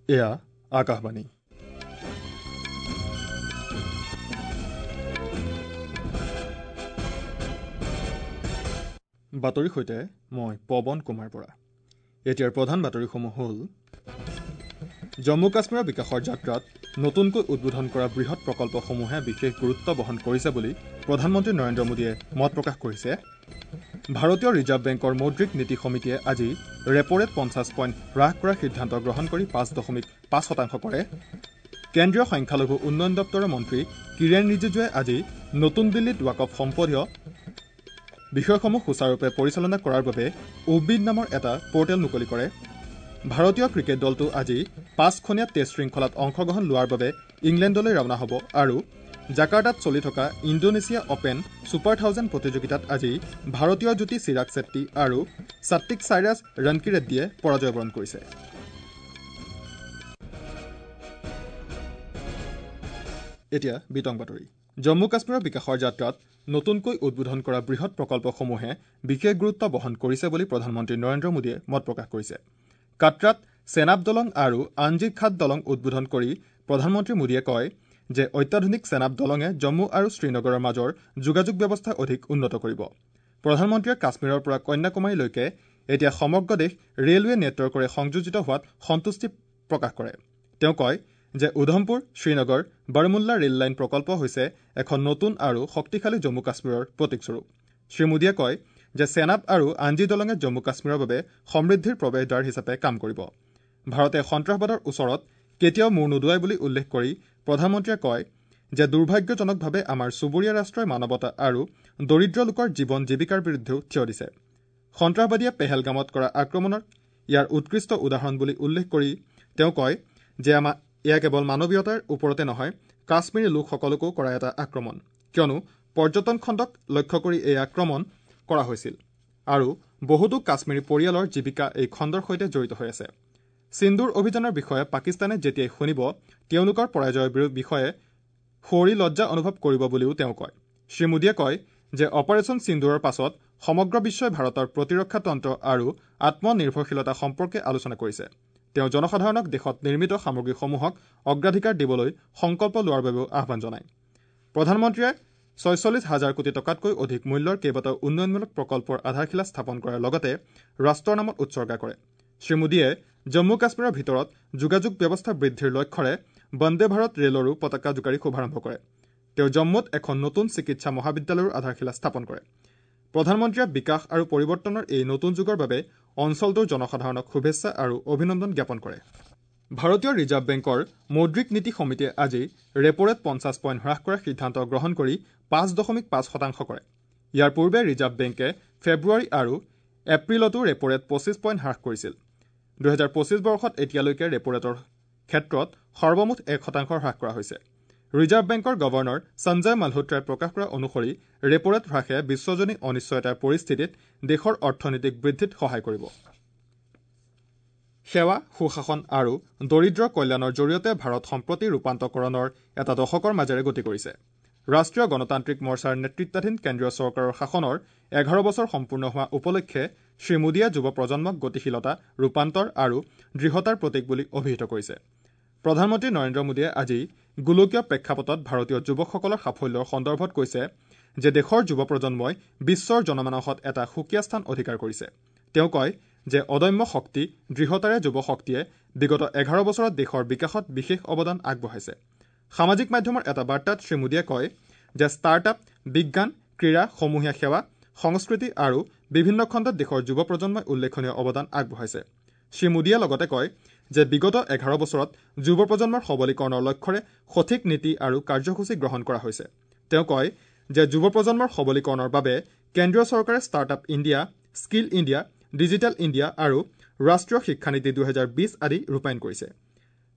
এয়া আকাশবাণী। বাতৰিৰ সৈতে মই পৱন কুমাৰ বৰা। এতিয়াৰ প্ৰধান বাতৰিসমূহ হ'ল: জম্মু কাশ্মীৰৰ বিকাশৰ যাত্ৰাত নতুনকৈ উদ্বোধন কৰা বৃহৎ প্ৰকল্পসমূহে বিশেষ গুৰুত্ব বহন কৰিছে বুলি প্ৰধানমন্ত্ৰী নৰেন্দ্ৰ মোদীয়ে মত প্ৰকাশ কৰিছে। ভাৰতীয় ৰিজাৰ্ভ বেংকৰ মৌদ্ৰিক নীতি সমিতিয়ে আজি ৰেপ'ৰেট 50 পইণ্ট হ্ৰাস কৰাৰ সিদ্ধান্ত গ্ৰহণ কৰি 5.5% কৰে। কেন্দ্ৰীয় সংখ্যালঘু উন্নয়ন দপ্তৰৰ মন্ত্ৰী কিৰেণ ৰিজিজুৱে আজি নতুন দিল্লীত ৱাকফ সম্পদীয় বিষয়সমূহ সুচাৰুৰূপে পৰিচালনা কৰাৰ বাবে উবিদ নামৰ এটা পৰ্টেল মুকলি কৰে। ভাৰতীয় ক্ৰিকেট দলটো আজি 5খনীয়া টেষ্ট শৃংখলাত অংশগ্ৰহণ লোৱাৰ বাবে ইংলেণ্ডলৈ ৰাওনা হ'ব আৰু জাকাৰ্টাত চলি থকা ইণ্ডোনেছিয়া অপেন ছুপাৰ 1000 প্ৰতিযোগিতাত আজি ভাৰতীয় যুটী চিৰাগ চেট্টি আৰু সাত্বিক চাইৰাজ ৰনকিৰেড্ডীয়ে পৰাজয়বৰণ কৰিছে। এতিয়া বিতং বাতৰি। জম্মু কাশ্মীৰৰ বিকাশৰ যাত্ৰাত নতুনকৈ উদ্বোধন কৰা বৃহৎ প্ৰকল্পসমূহে বিশেষ গুৰুত্ব বহন কৰিছে বুলি প্ৰধানমন্ত্ৰী নৰেন্দ্ৰ মোদীয়ে মত প্ৰকাশ কৰিছে। কাটৰাত চেনাব দলং আৰু আঞ্জিৰ খাট দলং উদ্বোধন কৰি প্ৰধানমন্ত্ৰী মোদীয়ে কয় যে অত্যাধুনিক চেনাব দলঙে জম্মু আৰু শ্ৰীনগৰৰ মাজৰ যোগাযোগ ব্যৱস্থা অধিক উন্নত কৰিব। প্ৰধানমন্ত্ৰীয়ে কাশ্মীৰৰ পৰা কন্যাকুমাৰীলৈকে এতিয়া সমগ্ৰ দেশ ৰেলৱে নেটৱৰ্কৰে সংযোজিত হোৱাত সন্তুষ্টি প্ৰকাশ কৰে। তেওঁ কয় যে উধমপুৰ শ্ৰীনগৰ বাৰমুল্লা ৰেল লাইন প্ৰকল্প হৈছে এখন নতুন আৰু শক্তিশালী জম্মু কাশ্মীৰৰ প্ৰতীকস্বৰূপ। শ্ৰীমোদীয়ে কয় যে চেনাব আৰু আঞ্জি দলঙে জম্মু কাশ্মীৰৰ বাবে সমৃদ্ধিৰ প্ৰৱেশদ্বাৰ হিচাপে কাম কৰিব। ভাৰতে সন্ত্ৰাসবাদৰ ওচৰত কেতিয়াও মূৰ নোদোৱাই বুলি উল্লেখ কৰি প্ৰধানমন্ত্ৰীয়ে কয় যে দুৰ্ভাগ্যজনকভাৱে আমাৰ চুবুৰীয়া ৰাষ্ট্ৰই মানৱতা আৰু দৰিদ্ৰ লোকৰ জীৱন জীৱিকাৰ বিৰুদ্ধেও থিয় দিছে। সন্ত্ৰাসবাদীয়ে পেহেলগামত কৰা আক্ৰমণক ইয়াৰ উৎকৃষ্ট উদাহৰণ বুলি উল্লেখ কৰি তেওঁ কয় যে এয়া কেৱল মানৱীয়তাৰ ওপৰতে নহয়, কাশ্মীৰী লোকসকলকো কৰা এটা আক্ৰমণ, কিয়নো পৰ্যটন খণ্ডক লক্ষ্য কৰি এই আক্ৰমণ কৰা হৈছিল আৰু বহুতো কাশ্মীৰী পৰিয়ালৰ জীৱিকা এই খণ্ডৰ সৈতে জড়িত হৈ আছে। সিন্দুৰ অভিযানৰ বিষয়ে পাকিস্তানে যেতিয়াই শুনিব তেওঁলোকৰ পৰাজয়ৰ বিষয়ে সুঁৱৰি লজ্জা অনুভৱ কৰিব বুলিও তেওঁ কয়। শ্ৰীমোদীয়ে কয় যে অপাৰেচন সিন্দুৰৰ পাছত সমগ্ৰ বিশ্বই ভাৰতৰ প্ৰতিৰক্ষা তন্ত্ৰ আৰু আত্মনিৰ্ভৰশীলতা সম্পৰ্কে আলোচনা কৰিছে। তেওঁ জনসাধাৰণক দেশত নিৰ্মিত সামগ্ৰীসমূহক অগ্ৰাধিকাৰ দিবলৈ সংকল্প লোৱাৰ বাবেও আহ্বান জনায়। প্ৰধানমন্ত্ৰীয়ে 46 হাজাৰ কোটি টকাতকৈ অধিক মূল্যৰ কেইবাটাও উন্নয়নমূলক প্ৰকল্পৰ আধাৰশিলা স্থাপন কৰাৰ লগতে ৰাষ্ট্ৰৰ নামত উৎসৰ্গা কৰে। শ্ৰীমোদীয়ে জম্মু কাশ্মীৰৰ ভিতৰত যোগাযোগ ব্যৱস্থা বৃদ্ধিৰ লক্ষ্যৰে বন্দে ভাৰত ৰেলৰো পতাকা জোকাৰি শুভাৰম্ভ কৰে। তেওঁ জম্মুত এখন নতুন চিকিৎসা মহাবিদ্যালয়ৰো আধাৰশিলা স্থাপন কৰে। প্ৰধানমন্ত্ৰীয়ে বিকাশ আৰু পৰিৱৰ্তনৰ এই নতুন যুগৰ বাবে অঞ্চলটোৰ জনসাধাৰণক শুভেচ্ছা আৰু অভিনন্দন জ্ঞাপন কৰে। ভাৰতীয় ৰিজাৰ্ভ বেংকৰ মৌদ্ৰিক নীতি সমিতিয়ে আজি ৰেপ'ৰেট 50 পইণ্ট হ্ৰাস কৰাৰ সিদ্ধান্ত গ্ৰহণ কৰি 5.5% কৰে। ইয়াৰ পূৰ্বে ৰিজাৰ্ভ বেংকে ফেব্ৰুৱাৰী আৰু এপ্ৰিলতো ৰেপ'ৰেট 25 পইণ্ট হ্ৰাস কৰিছিল। 2025 বৰ্ষত এতিয়ালৈকে ৰেপ'ৰেটৰ ক্ষেত্ৰত সৰ্বমুঠ 1% হ্ৰাস কৰা হৈছে। ৰিজাৰ্ভ বেংকৰ গভৰ্ণৰ সঞ্জয় মালহোত্ৰাই প্ৰকাশ কৰা অনুসৰি ৰেপ'ৰেট হ্ৰাসে বিশ্বজনীন অনিশ্চয়তাৰ পৰিস্থিতিত দেশৰ অৰ্থনৈতিক বৃদ্ধিত সহায় কৰিব। সেৱা, সুশাসন আৰু দৰিদ্ৰ কল্যাণৰ জৰিয়তে ভাৰত সম্প্ৰতি ৰূপান্তকৰণৰ এটা দশকৰ মাজেৰে গতি কৰিছে। ৰাষ্ট্ৰীয় গণতান্ত্ৰিক মৰ্চাৰ নেতৃত্বাধীন কেন্দ্ৰীয় চৰকাৰৰ শাসনৰ 11 বছৰ সম্পূৰ্ণ হোৱা উপলক্ষে শ্ৰীমোদীয়ে যুৱ প্ৰজন্মক গতিশীলতা, ৰূপান্তৰ আৰু দৃঢ়তাৰ প্ৰতীক বুলি অভিহিত কৰিছে। প্ৰধানমন্ত্ৰী নৰেন্দ্ৰ মোদীয়ে আজি গোলকীয় প্ৰেক্ষাপটত ভাৰতীয় যুৱকসকলৰ সাফল্যৰ সন্দৰ্ভত কৈছে যে দেশৰ যুৱ প্ৰজন্মই বিশ্বৰ জনমানসত এটা সুকীয়া স্থান অধিকাৰ কৰিছে। তেওঁ কয় যে অদম্য শক্তি, দৃঢ়তাৰে যুৱ শক্তিয়ে বিগত 11 বছৰত দেশৰ বিকাশত বিশেষ অৱদান আগবঢ়াইছে। সামাজিক মাধ্যমৰ এটা বাৰ্তাত শ্ৰীমোদীয়ে কয় যে ষ্টাৰ্টআপ, বিজ্ঞান, ক্ৰীড়া, সমূহীয়া সেৱা, সংস্কৃতি আৰু বিভিন্ন খণ্ডত দেশৰ যুৱ প্ৰজন্মই উল্লেখনীয় অৱদান আগবঢ়াইছে। শ্ৰীমোদীয়ে লগতে কয় যে বিগত 11 বছৰত যুৱ প্ৰজন্মৰ সবলীকৰণৰ লক্ষ্যৰে সঠিক নীতি আৰু কাৰ্যসূচী গ্ৰহণ কৰা হৈছে। তেওঁ কয় যে যুৱ প্ৰজন্মৰ সবলীকৰণৰ বাবে কেন্দ্ৰীয় চৰকাৰে startup India, skill India, digital India আৰু ৰাষ্ট্ৰীয় শিক্ষানীতি 2020 আদি ৰূপায়ণ কৰিছে।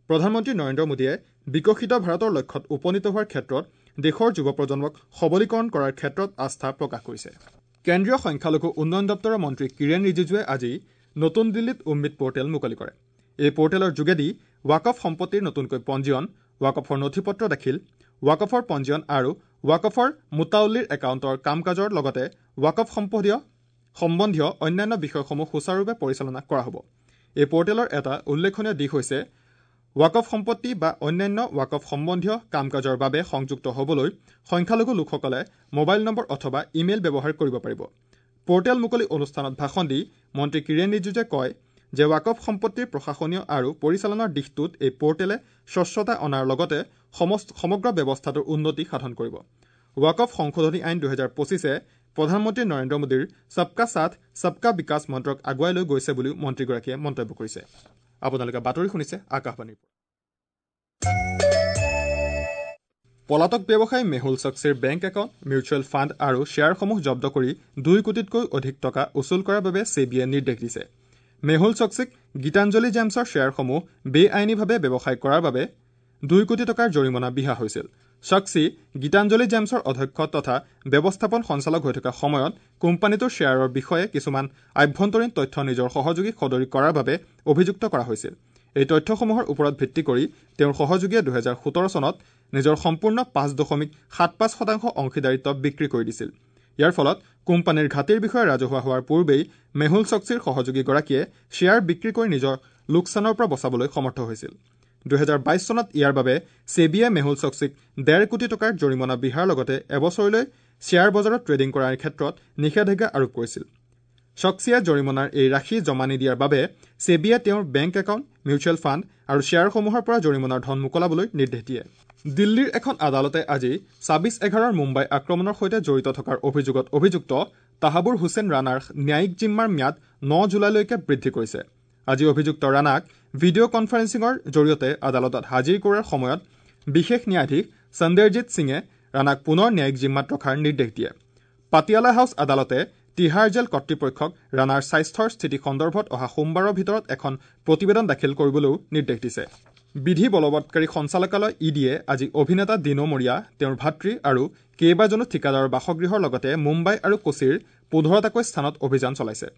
প্ৰধানমন্ত্ৰী নৰেন্দ্ৰ মোদীয়ে বিকশিত ভাৰতৰ লক্ষ্যত উপনীত হোৱাৰ ক্ষেত্ৰত দেশৰ যুৱ প্ৰজন্মক সবলীকৰণ কৰাৰ ক্ষেত্ৰত আস্থা প্ৰকাশ কৰিছে। কেন্দ্ৰীয় সংখ্যালঘু উন্নয়ন দপ্তৰৰ মন্ত্ৰী কিৰেণ ৰিজিজুৱে আজি নতুন দিল্লীত উম্মিদ পৰ্টেল মুকলি কৰে। এই পৰ্টেলৰ যোগেদি ৱাকফ সম্পত্তিৰ নতুনকৈ পঞ্জীয়ন, ৱাকফৰ নথি পত্ৰ দাখিল, ৱাকফৰ পঞ্জীয়ন আৰু ৱাকফৰ মুতাউল্লিৰ একাউণ্টৰ কাম কাজৰ লগতে ৱাকফ সম্বন্ধীয় অন্যান্য বিষয়সমূহ সুচাৰুৰূপে পৰিচালনা কৰা হ'ব। এই পৰ্টেলৰ এটা উল্লেখনীয় দিশ হৈছে ৱাকফ সম্পত্তি বা অন্যান্য ৱাকফ সম্বন্ধীয় কাম কাজৰ বাবে সংযুক্ত হ'বলৈ সংখ্যালঘু লোকসকলে মোবাইল নম্বৰ অথবা ইমেইল ব্যৱহাৰ কৰিব পাৰিব। পৰ্টেল মুকলি অনুষ্ঠানত ভাষণ দি মন্ত্ৰী কিৰেণ ৰিজিজুৱে কয় যে ৱাকফ সম্পত্তিৰ প্ৰশাসনীয় আৰু পৰিচালনাৰ দিশটোত এই পৰ্টেলে স্বচ্ছতা অনাৰ লগতে সমগ্ৰ ব্যৱস্থাটোৰ উন্নতি সাধন কৰিব। ৱাকফ সংশোধনী আইন 2025-এ প্ৰধানমন্ত্ৰী নৰেন্দ্ৰ মোদীৰ সবকা সাথ সবকা বিকাশ মন্ত্ৰক আগুৱাই লৈ গৈছে বুলিও মন্ত্ৰীগৰাকীয়ে মন্তব্য কৰিছে। আপোনালোকে বাতৰি শুনিছে আকাশবাণীৰ। পলাতক ব্যৱসায়ী মেহুল চক্সিৰ বেংক একাউণ্ট, মিউচুৱেল ফাণ্ড আৰু শ্বেয়াৰসমূহ জব্দ কৰি 2 কোটিতকৈ অধিক টকা উচুল কৰাৰ বাবে ছেবিয়ে নিৰ্দেশ দিছে। মেহুল চক্সিক গীতাঞ্জলি জেমছৰ শ্বেয়াৰসমূহ বেআইনীভাৱে ব্যৱসায় কৰাৰ বাবে 2 কোটি টকাৰ জৰিমনা বিহা হৈছিল। চক্সি গীতাঞ্জলি জেমছৰ অধ্যক্ষ তথা ব্যৱস্থাপন সঞ্চালক হৈ থকা সময়ত কোম্পানীটোৰ শ্বেয়াৰৰ বিষয়ে কিছুমান আভ্যন্তৰীণ তথ্য নিজৰ সহযোগীক সদৰি কৰাৰ বাবে অভিযুক্ত কৰা হৈছিল। এই তথ্যসমূহৰ ওপৰত ভিত্তি কৰি তেওঁৰ সহযোগীয়ে 2017 চনত নিজৰ সম্পূৰ্ণ 5.75% অংশীদাৰিত্ব বিক্ৰী কৰি দিছিল। ইয়াৰ ফলত কোম্পানীৰ ঘাটিৰ বিষয়ে ৰাজহুৱা হোৱাৰ পূৰ্বেই মেহুল চক্সিৰ সহযোগীগৰাকীয়ে শ্বেয়াৰ বিক্ৰী কৰি নিজৰ লোকচানৰ পৰা বচাবলৈ সমৰ্থ হৈছিল। 2022 চনত ইয়াৰ বাবে ছেবিয়ে মেহুল চক্সিক 1.5 কোটি টকাৰ জৰিমনা বিহাৰ লগতে এবছৰলৈ শ্বেয়াৰ বজাৰত ট্ৰেডিং কৰাৰ ক্ষেত্ৰত নিষেধাজ্ঞা আৰোপ কৰিছিল। চক্সিয়ে জৰিমনাৰ এই ৰাশি জমা নিদিয়াৰ বাবে ছেবিয়ে তেওঁৰ বেংক একাউণ্ট, মিউচুৱেল ফাণ্ড আৰু শ্বেয়াৰসমূহৰ পৰা জৰিমনাৰ ধন মোকলাবলৈ নিৰ্দেশ দিয়ে। দিল্লীৰ এখন আদালতে আজি 26/11 মুম্বাই আক্ৰমণৰ সৈতে জড়িত থকাৰ অভিযোগত অভিযুক্ত তাহাবুৰ হুছেইন ৰাণাৰ ন্যায়িক জিম্মাৰ ম্যাদ 9 জুলাইলৈকে বৃদ্ধি কৰিছে। আজি অভিযুক্ত ৰাণাক ভিডিঅ' কনফাৰেন্সিঙৰ জৰিয়তে আদালতত হাজিৰ কৰাৰ সময়ত বিশেষ ন্যায়াধীশ সন্দেৰজিৎ সিঙে ৰাণাক পুনৰ ন্যায়িক জিম্মাত ৰখাৰ নিৰ্দেশ দিয়ে। পাটিয়ালা হাউচ আদালতে তিহাৰ জেল কৰ্তৃপক্ষক ৰাণাৰ স্বাস্থ্যৰ স্থিতি সন্দৰ্ভত অহা সোমবাৰৰ ভিতৰত এখন প্ৰতিবেদন দাখিল কৰিবলৈও নিৰ্দেশ দিছে। বিধি বলবৎকাৰী সঞ্চালকালয় ই ডিয়ে আজি অভিনেতা দিনো মৰিয়া, তেওঁৰ ভাতৃ আৰু কেইবাজনো ঠিকাদাৰৰ বাসগৃহৰ লগতে মুম্বাই আৰু কোচিৰ 15টাকৈ স্থানত অভিযান চলাইছে।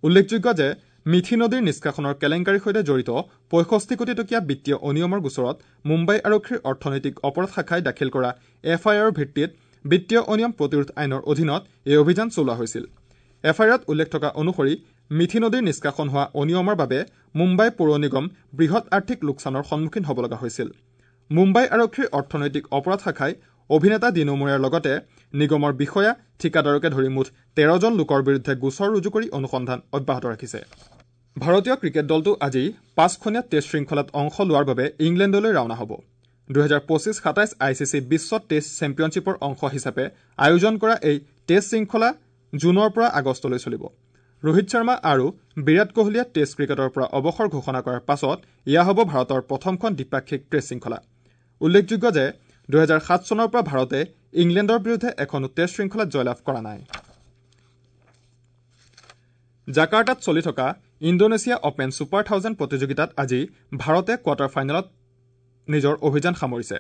উল্লেখযোগ্য যে মিথি নদীৰ নিষ্কাশনৰ কেলেংকাৰীৰ সৈতে জড়িত 65 কোটি টকীয়া বিত্তীয় অনিয়মৰ গোচৰত মুম্বাই আৰক্ষীৰ অৰ্থনৈতিক অপৰাধ শাখাই দাখিল কৰা এফ আই আৰৰ ভিত্তিত বিত্তীয় অনিয়ম প্ৰতিৰোধ আইনৰ অধীনত এই অভিযান চলোৱা হৈছিল। এফ আই আৰত উল্লেখ থকা অনুসৰি মিথি নদীৰ নিষ্কাশন হোৱা অনিয়মৰ বাবে মুম্বাই পৌৰ নিগম বৃহৎ আৰ্থিক লোকচানৰ সন্মুখীন হ'ব লগা হৈছিল। মুম্বাই আৰক্ষীৰ অৰ্থনৈতিক অপৰাধ শাখাই অভিনেতা দিনো মৰিয়াৰ লগতে নিগমৰ বিষয়া, ঠিকাদাৰকে ধৰি মুঠ 13জন লোকৰ বিৰুদ্ধে গোচৰ ৰুজু কৰি অনুসন্ধান অব্যাহত ৰাখিছে। ভাৰতীয় ক্ৰিকেট দলটো আজি 5খনীয়া টেষ্ট শৃংখলাত অংশ লোৱাৰ বাবে ইংলেণ্ডলৈ ৰাওনা হ'ব। 2025-27 I C C Biswa test চেম্পিয়নশ্বিপৰ অংশ হিচাপে আয়োজন কৰা এই টেষ্ট শৃংখলা জুনৰ পৰা আগষ্টলৈ চলিব। ৰোহিত শৰ্মা আৰু বিৰাট কোহলীয়ে টেষ্ট ক্ৰিকেটৰ পৰা অৱসৰ ঘোষণা কৰাৰ পাছত এয়া হ'ব ভাৰতৰ প্ৰথমখন দ্বিপাক্ষিক টেষ্ট শৃংখলা। উল্লেখযোগ্য যে 2007 চনৰ পৰা ভাৰতে ইংলেণ্ডৰ বিৰুদ্ধে এখনো টেষ্ট শৃংখলাত জয়লাভ কৰা নাই। জাকাৰ্টাত চলি থকা ইণ্ডোনেছিয়া অপেন ছুপাৰ 1000 প্ৰতিযোগিতাত আজি ভাৰতে কোৱাৰ্টাৰ ফাইনেলত নিজৰ অভিযান সামৰিছে।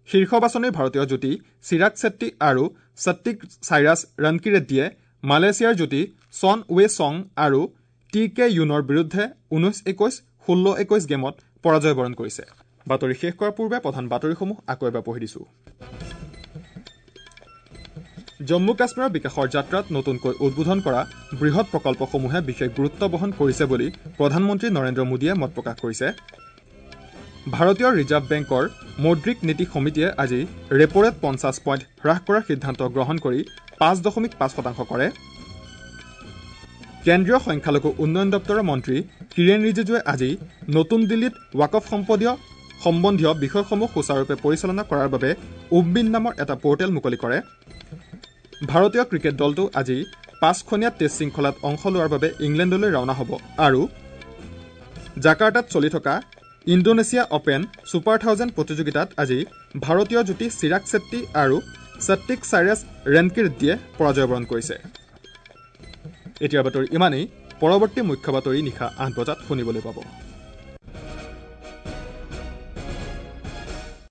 শীৰ্ষ বাছনিৰ ভাৰতীয় যুটি চিৰাগ চেট্টি আৰু সত্বিক চাইৰাছ ৰনকিৰেড্ডীয়ে মালয়েছিয়াৰ যুটি ছন ৱে চং আৰু টি কে ইউনৰ বিৰুদ্ধে 19-21, 16-21 গেমত পৰাজয় বৰণ কৰিছে। বাতৰি শেষ কৰাৰ পূৰ্বে প্ৰধান বাতৰিসমূহ আকৌ এবাৰ পঢ়ি দিছো। জম্মু কাশ্মীৰৰ বিকাশৰ যাত্ৰাত নতুনকৈ উদ্বোধন কৰা বৃহৎ প্ৰকল্পসমূহে বিশেষ গুৰুত্ব বহন কৰিছে বুলি প্ৰধানমন্ত্ৰী নৰেন্দ্ৰ মোদীয়ে মত প্ৰকাশ কৰিছে। ভাৰতীয় ৰিজাৰ্ভ বেংকৰ মৌদ্ৰিক নীতি সমিতিয়ে আজি ৰেপ'ৰেট 50 পইণ্ট হ্ৰাস কৰাৰ সিদ্ধান্ত গ্ৰহণ কৰি 5.5% কৰে। কেন্দ্ৰীয় সংখ্যালঘু উন্নয়ন দপ্তৰৰ মন্ত্ৰী কিৰেণ ৰিজিজুৱে আজি নতুন দিল্লীত ৱাকফ সম্বন্ধীয় বিষয়সমূহ সুচাৰুৰূপে পৰিচালনা কৰাৰ বাবে উম্বিন নামৰ এটা পৰ্টেল মুকলি কৰে। ভাৰতীয় ক্ৰিকেট দলটো আজি 5খনীয়া টেষ্ট শৃংখলাত অংশ লোৱাৰ বাবে ইংলেণ্ডলৈ ৰাওনা হ'ব আৰু জাকাৰ্টাত চলি থকা ইণ্ডোনেছিয়া অপেন ছুপাৰ 1000 প্ৰতিযোগিতাত আজি ভাৰতীয় যুটি চিৰাগ চেট্টি আৰু সত্বিক চাইৰাছ ৰেনকিৰেড্ডীয়ে পৰাজয়বৰণ কৰিছে। এতিয়াৰ বাতৰি ইমানেই। পৰৱৰ্তী মুখ্য বাতৰি নিশা 8 বজাত শুনিবলৈ পাব।